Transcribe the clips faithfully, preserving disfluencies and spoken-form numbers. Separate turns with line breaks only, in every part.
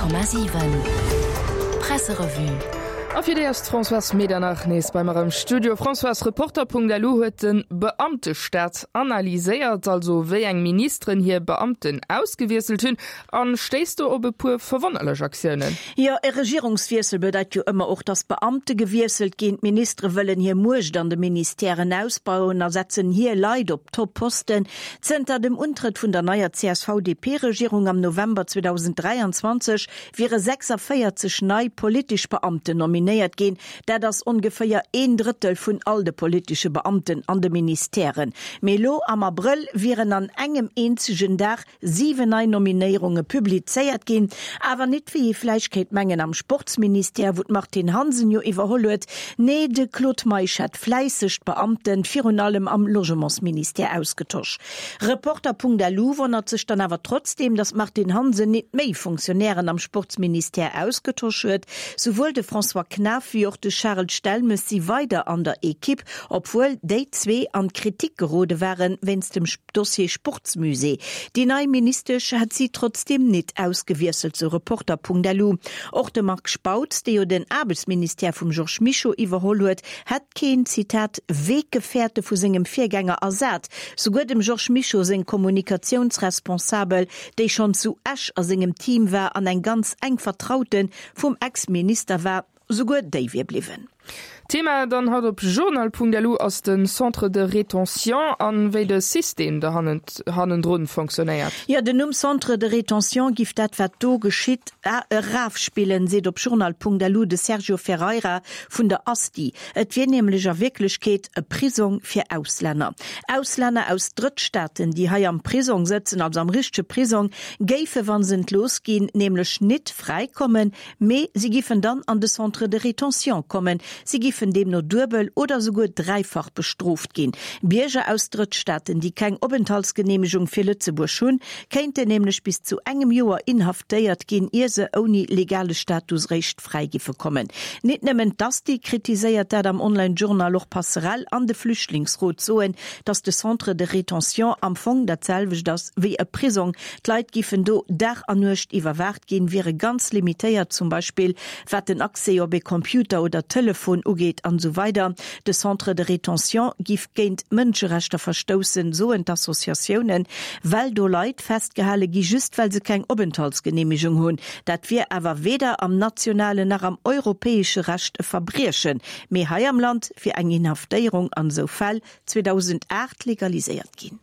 Honnert Komma siwen Presserevue.
A fir déi ass d'Françoise Medernach nees bei mer am Studio. Françoise, Reporter.lu huet de Beamtestaat analyséiert, also wéi eng Ministeren hir Beamten ausgewiesselt hunn, an stéisst do op e puer verwonnerlech Aktiounen.
Jo, e Regierungswiessel bedeit jo ëmmer och, dass Beamte gewiesselt ginn. D'Ministere wëllen hir Muecht an de Ministèren ausbauen a setzen hir Leit op Top-Posten. Zënter dem Untrëtt vun der neier C S V D P-Regierung am November zweedausend dräianzwanzeg wiere sechsavéierzeg nei politesch Beamten nominéiert ginn. Dat ass ongeféier een Drëttel vun all de politesche Beamten an de Ministèren. Mee elo am Abrëll wieren an engem eenzegen Dag siwen nei Nominéierunge publizéiert ginn. Awer net, wéi ee vläicht kéint mengen, am Sportsministère, wou d'Martine Hansen jo iwwerholl huet. Nee, de Claude Meisch hätt fläisseg d'Beamten, virun allem am Logementsministère, ausgetosch. Reporter.lu wonnert sech dann awer trotzdeem, datt d'Martine Hansen net méi Fonctionnairen am Sportsministère ausgetosch huet. Souwuel de François Knaff wéi och de Charel Stelmes si weider an der Ekipp, obwuel déi zwee an d'Kritik gerode waren wéinst dem Dossier Sportsmusée. Déi nei Ministesch hätt si trotzdeem net ausgewiesselt, sou Reporter.lu. Och de Marc Spautz, dee jo den Aarbechtsministère vum Georges Mischo iwwerholl huet, hätt keen, Zitat, Weggefährte vu sengem Virgänger ersat. Souguer dem Georges Mischo seng Kommunikatiounsresponsabel, déi schonn zu Esch a sengem Team war an eng ganz enk Vertraute vum Ex-Minister war, souguer déi wier bliwwen.
Thema dann haut op journal Punkt L U ass den Centre de rétention an wéi de System do hannendrun fonctionnéiert.
Jo, den Numm Centre de rétention giff dat, wat do geschitt, erafspillen, seet op journal Punkt L U de Sergio Ferreira vun der ASTI. Et wier nämlech a Wierklechkeet e Prisong fir Auslänner. Auslänner aus Drëttstaaten, déi hei am Prisong sëtzen, also am richtege Prisong, géife wa se entlooss ginn, nämlech net fräikommen, mee si giffen dann an de Centre de rétention kommen. Si giffen deemno duebel oder souguer dräifach bestrooft ginn. Bierger aus Drëttstaaten, déi keng Openthaltsgeneemegung fir Lëtzebuerg hunn, kéinten nämlech bis zu engem Joer inhaftéiert ginn, ier se ouni legale Status réischt fräi giffe kommen. Net nëmmen d'ASTI kritiséiert dat am Online-Journal, och Passerell an de Flüchtlingsrot soen, datt de Centre de rétention am Fong dat selwecht ass wéi e Prisong. D'Leit giffen do Dag an Nuecht iwwerwaacht ginn, wiere ganz limitéiert, zum Beispill wat den Accès op e Computer oder Telefon ugeet an esou weider. De Centre de rétention giff géint Mënscherechter verstoussen, soen d'Associatiounen, well do Leit festgehale gi just well se keng Openthaltsgeneemegung hunn. Dat wier awer weder am nationalen nach am europäesche Recht e Verbriechen. Mee hei am Land wier eng Inhaftéierung an esou Fäll zweedausendaacht legaliséiert ginn.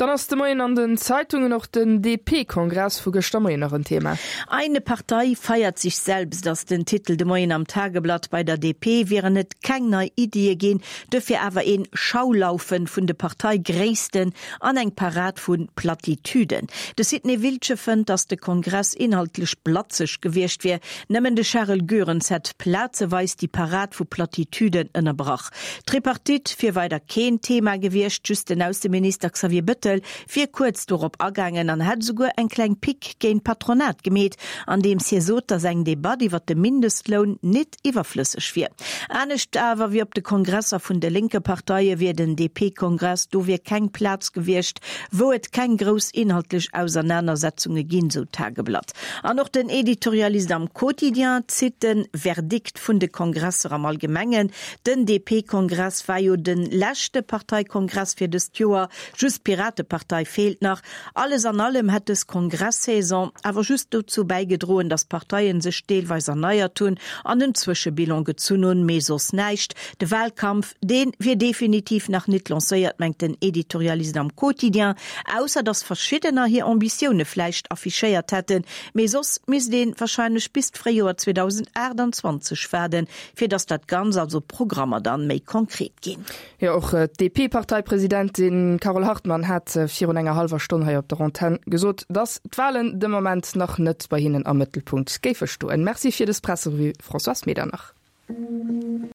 Dann ass de Moien an den Zeitungen och den D P-Kongress vu gëschter Moien nach en Thema.
Eine Partei feiert sich selbst, ass den Titel de Moien am Tageblatt. Bei der D P wieren et keng nei Iddie ginn, dofir awer een Schaulaufen vun de Parteigréissten an eng Parad vu Plattitüden. De Sidney Wiltgen fënnt, datt de Kongress inhaltlech blatzeg gewiescht wier. Nëmmen de Charel Goerens hätt plazeweis déi Parad vu Plattitüden ënnerbrach. D'Tripartite wier weider keen Thema gewiescht, just den Ausseminister Xavier Bettel wier kuerz dorop agaangen an hätt souguer eng kleng Pick géint d'Patronat gemeet, andeems hie sot, datt eng Debatt iwwer de Mindestloun net iwwerflësseg wier. Anescht awer wéi op de Kongresser vun de lénke Parteie wier den D P-Kongress do wier keng Plaz gewiescht, wou et keng grouss inhaltlech Ausernanersetzunge ginn, sou d'Tageblatt. An och den Editorialist am Quotidien zitt de Verdikt vun de Kongresser am Allgemengen. Den D P-Kongress war jo de leschte Parteikongress fir dëst Joer, just d'Piratepartei feelt nach. Alles an allem hätt dës Kongress-Saison awer just dozou bäigedroen, datt d'Parteien sech deelweis erneiert hunn an en Zwëschebilan gezunn hunn, mee soss näischt. De Wahlkampf, dee wier definitiv nach net lancéiert, mengt den Editorialist am Quotidien, ausser datt verschiddener hir Ambitioune vläicht affichéiert hätten, mee soss misst ee warscheinlech bis d'Fréijoer zweedausendaachtanzwanzeg waarden, fir datt dat Ganzt, also Programmer dann méi konkret ginn.
Jo, och d'D P-Parteipresidentin Carole Hartmann hat virun enger hallwer Stonn hei op der Antenn gesot, datt d'Wahlen de Moment nach net bei hinnen am Mëttelpunkt géife stoen. Merci fir dës Presserevue, Françoise Medernach.